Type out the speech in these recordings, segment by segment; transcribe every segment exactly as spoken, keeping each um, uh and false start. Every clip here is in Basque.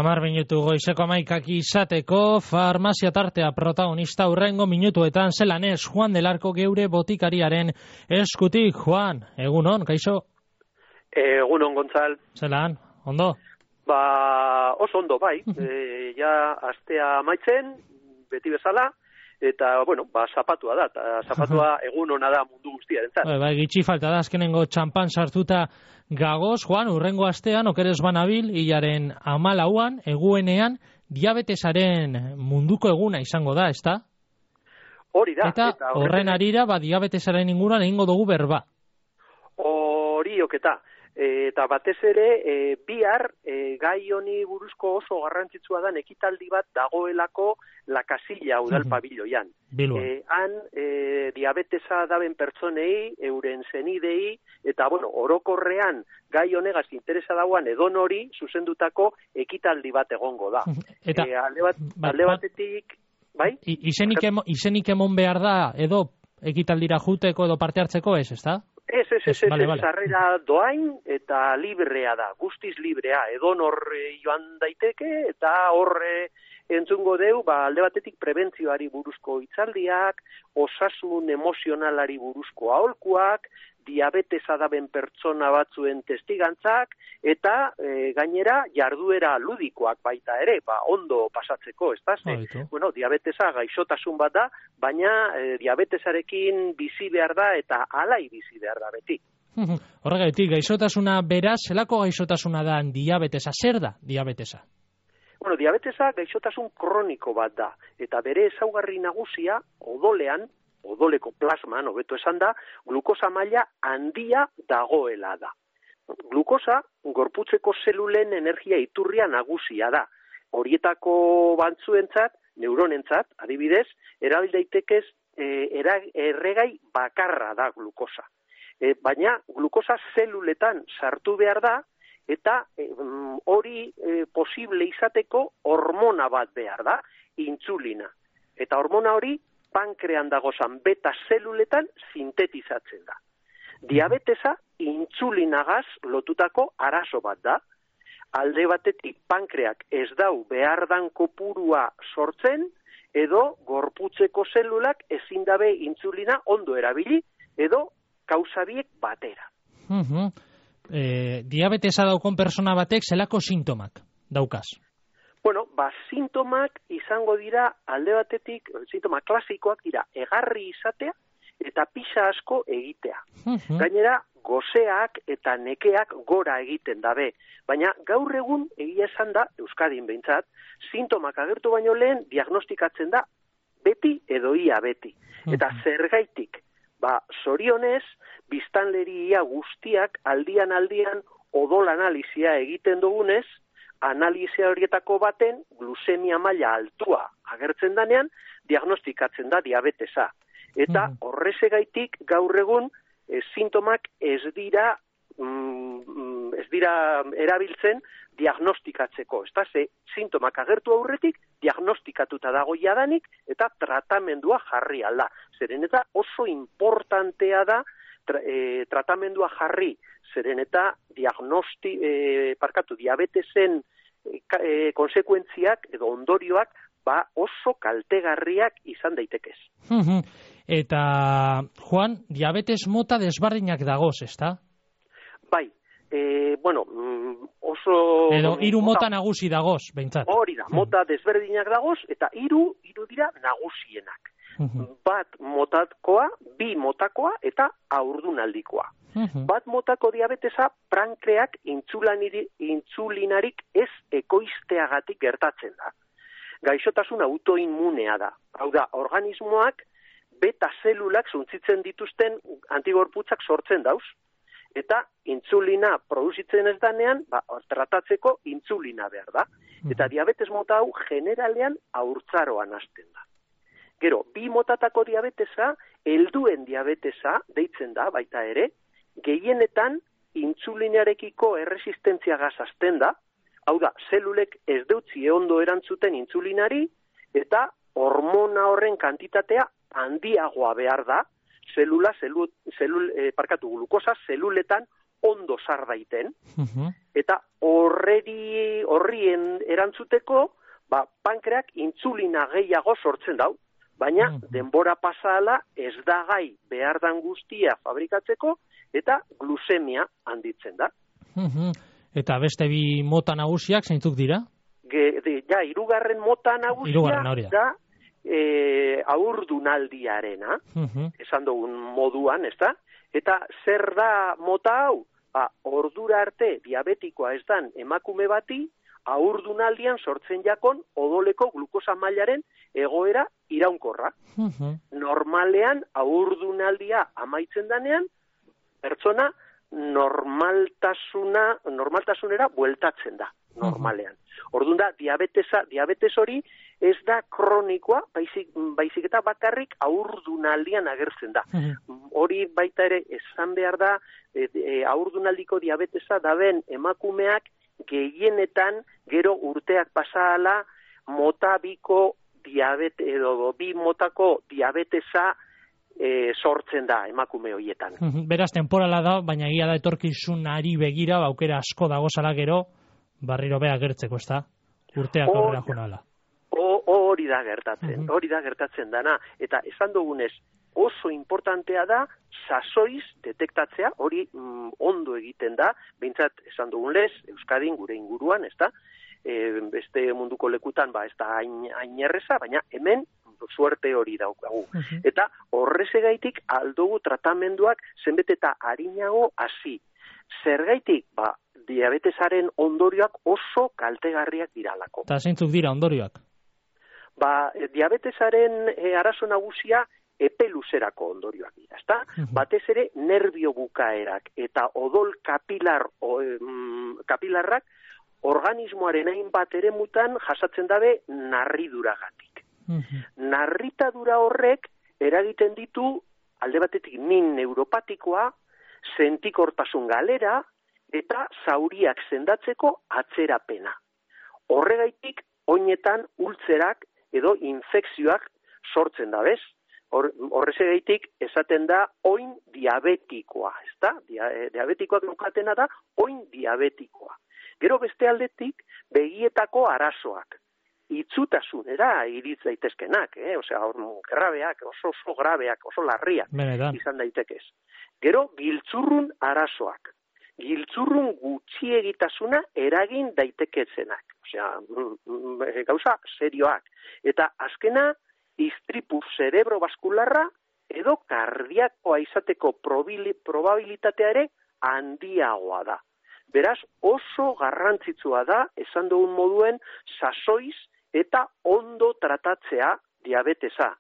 Hamar minutu goizeko hamaikak izateko, farmazia tartea protagonista hurrengo minutuetan zelan ez Juan del Arco geure botikariaren eskutik. Juan, egunon, kaixo? Egunon, Gontzal. Zelan, ondo? Ba, oso ondo, bai. e, ja, astea amaitzen, beti bezala, eta, bueno, ba, zapatua da, eta zapatua egunona da mundu guztiarentzat. Bai, bai, gitxi falta da, azkenengo txampan sartuta gagoz, Juan, urrengo astean, okerez banabil, hilaren amalauan, eguenean, diabetesaren munduko eguna izango da, ezta? Hori da. Eta, eta horren arira, ba, diabetesaren inguruan egingo dugu berba. Hori oketa. E, eta batez ere, e, bihar, e, gai honi buruzko oso garrantzitsua dan ekitaldi bat dagoelako La Casilla udal pabiloian. E, han, e, diabetesa daben pertsonei, euren zenidei, eta, bueno, orokorrean gai honegaz interesa dauan edon hori zuzendutako ekitaldi bat egongo da. Eta, e, alde, bat, alde batetik, bai? Izenik, emo, izenik emon behar da, edo ekitaldira juteko edo parte hartzeko ez, ezta? Ez, ez, ez, ez, vale, vale. Sarrera doain eta librea da, guztiz librea, edon horre joan daiteke eta horre entzungo deu, ba, alde batetik prebentzioari buruzko hitzaldiak, osasun emozionalari buruzko aholkuak, diabetesa daben pertsona batzuen testigantzak, eta e, gainera jarduera ludikoak baita ere, ba, ondo pasatzeko, ez da? Ze, bueno, diabetesa gaixotasun bat da, baina e, diabetesarekin bizi behar da eta alai bizi behar da beti. Horregatik, gaixotasuna beraz, zelako gaixotasuna da diabetesa? Zer da diabetesa? Bueno, diabetesa gaixotasun kroniko bat da, eta bere ezaugarri nagusia odolean, odoleko plasman, hobeto esan da, glukosa maila handia dagoela da. Glukosa, gorputzeko zelulen energia iturria nagusia da. Horietako bantzuentzat, neuronentzat, adibidez, erabil daitekez e, era, erregai bakarra da glukosa. E, baina, glukosa zeluletan sartu behar da, eta e, hori e, posible izateko hormona bat behar da, intzulina. Eta hormona hori, pankrean dagozan beta zeluletan sintetizatzen da. Diabetesa intzulinagaz lotutako arazo bat da. Alde batetik pankreak ez dau behar dan kopurua sortzen, edo gorputzeko zelulak ezin dabe intzulina ondo erabili, edo kausabiek batera. Uh-huh. eh, diabetesa daukon persona batek zelako sintomak daukaz? Bueno, ba, sintomak izango dira alde batetik, sintoma klasikoak dira, egarri izatea eta pixa asko egitea. Uh-huh. Gainera, goseak eta nekeak gora egiten dabe. Baina gaur egun egia esan da, Euskadin behintzat, sintomak agertu baino lehen diagnostikatzen da beti edo ia beti. Uh-huh. Eta zergaitik, ba, zorionez, biztanleria guztiak aldian aldian odol analizia egiten dugunez, analizia horietako baten glusemia maila altua agertzen danean, diagnostikatzen da diabetesa. Eta horrezegaitik gaur egun e, sintomak ez dira mm, ez dira erabiltzen diagnostikatzeko. Ez da, ze sintomak agertu aurretik diagnostikatuta dago jadanik eta tratamendua jarri alda. Zeren eta oso importantea da tra, e, tratamendua jarri. Zeren eta diagnosti, e, parkatu, diabetesen e, konsekuentziak edo ondorioak ba oso kaltegarriak izan daitekez. Eta, Juan, diabetes mota desbardinak dagoz, ezta? Bai, e, bueno, oso... Edo hiru mota, mota nagusi dagoz, behintzat. Hori da, mota desberdinak dagoz, eta hiru hiru dira nagusienak. Uh-huh. Bat motakoa, bi motakoa eta haurdunaldikoa. Uh-huh. Bat motako diabetesa pankreak intzulinarik ez ekoizteagatik gertatzen da. Gaixotasun autoinmunea da. Hau da, organismoak beta zelulak zuntzitzen dituzten antigorputzak sortzen dauz, eta intzulina produzitzen ez danean, ba, tratatzeko intzulina behar da. Eta diabetes mota hau generalean haurtzaroan hasten da. Gero, bi motatako diabetesa, helduen diabetesa deitzen da, baita ere, gehienetan intzulinarekiko erresistentzia gazazten da, hau da, zelulek ez deutzi ondo erantzuten intzulinari, eta hormona horren kantitatea handiagoa behar da, zelula, zelul, zelul, eh, parkatu, glukosa, zeluletan ondo sar daiten, eta horreri, horrien erantzuteko, ba, pankreak intzulina gehiago sortzen dau, baina denbora pasala ez da gai behar dan guztia fabrikatzeko, eta glusemia handitzen da. Eta beste bi mota nagusiak zeintzuk dira? Ge, de, ja, irugarren mota nagusia da e, aurdunaldiarena, esan dugun moduan, ez da? Eta zer da mota hau? Ba, ordura arte diabetikoa ez dan emakume bati, aurdunaldian sortzen jakon odoleko glukosa mailaren egoera iraunkorra. Normalean, aurdunaldia amaitzen danean, pertsona normaltasuna, normaltasunera bueltatzen da, normalean. Orduan da, diabetesa, diabetes hori ez da kronikoa, baizik, baizik eta bakarrik aurdunaldian agertzen da. Hori baita ere esan behar da, e, e, aurdunaldiko diabetesa daben emakumeak gehienetan gero urteak pasala mota biko diabete, edo bi motako diabetesa E, sortzen da emakume horietan. Beraz, temporala da, baina egia da etorkizunari begira, aukera asko dagozala gero, barriro beha gertzeko, ez da? Urteak aurrera jonala. Hori da gertatzen, hori da gertatzen dana. Eta esan dugunez, oso importantea da, sasoiz detektatzea, hori mm, ondo egiten da, behintzat esan dugunez, Euskadin gure inguruan, ez da? E, beste munduko lekutan, ba, ez da hain, hain erreza, baina hemen suerte hori daukagu. Uh-huh. Eta horrezegaitik aldugu tratamenduak zenbet eta harinago hasi. Zergaitik, ba, diabetesaren ondorioak oso kaltegarriak diralako. Eta zeintzuk dira ondorioak? Ba, diabetesaren e, arazo nagusia epe luzerako ondorioak dira, ezta? Uh-huh. Batez ere nerbio bukaerak eta odol kapilar, o, em, kapilarrak organismoaren hainbat eremutan jasatzen dabe narriduragatik. Narritadura horrek eragiten ditu alde batetik min neuropatikoa, sentikortasun galera eta zauriak sendatzeko atzerapena. Horregaitik oinetan ultzerak edo infekzioak sortzen da, bez? Horrezegaitik esaten da oin diabetikoa, ezta? Diabetikoak nukatena da oin diabetikoa. Gero beste aldetik begietako arazoak. Itzutasunera iritz daitezkenak, eh? Osea, grabeak, oso oso grabeak, oso larriak Benetan. Izan daitekez. Gero, giltzurrun arazoak. Giltzurrun gutxiegitasuna eragin daitekezenak. Osea, gauza serioak. Eta azkena, istripu cerebrovaskularra edo kardiakoa izateko probabilitatea ere handiagoa da. Beraz, oso garrantzitsua da, esan dugun moduen, sasoiz eta ondo tratatzea diabetesa.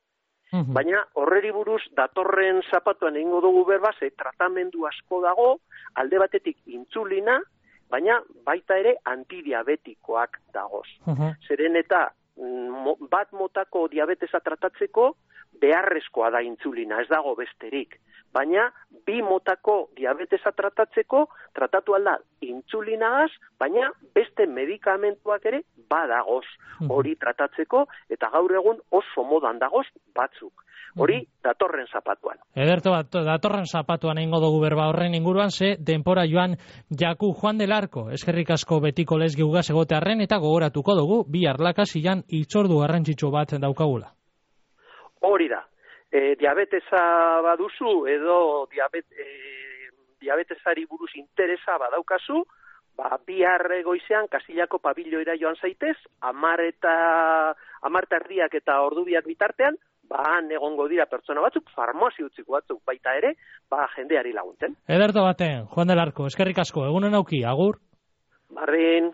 Uh-huh. Baina horreri buruz datorren zapatuan egingo dugu berba, ze tratamendu asko dago, alde batetik intzulina, baina baita ere antidiabetikoak dagoz. Uh-huh. Zeren eta bat motako diabetesa tratatzeko beharrezkoa da intzulina, ez dago besterik. Baina bi motako diabetesa tratatzeko tratatu alda intzulinagaz, baina beste medikamentuak ere badagoz hori tratatzeko, eta gaur egun oso modan dagoz batzuk. Hori datorren zapatuan. Ederto bat, datorren zapatuan egingo dugu berba horren inguruan, ze denpora joan jaku Juan del Arco, eskerrik asko betiko lez geugaz egotearren, eta gogoratuko dugu bi arlakasilan itzordu garrantzitsu bat daukagula. Hori da. E, diabetesa baduzu edo diabet, e, diabetesari buruz interesa badaukazu, ba, bihar goizean Kastillako pabilloira joan zaitez, amar eta amar erdiak eta ordu biak bitartean, ba, han egongo dira pertsona batzuk, farmazio utziko batzuk baita ere, ba, jendeari laguntzen. Ederto baten, Juan del Arco, eskerrik asko, egunen auki, agur? Barrin.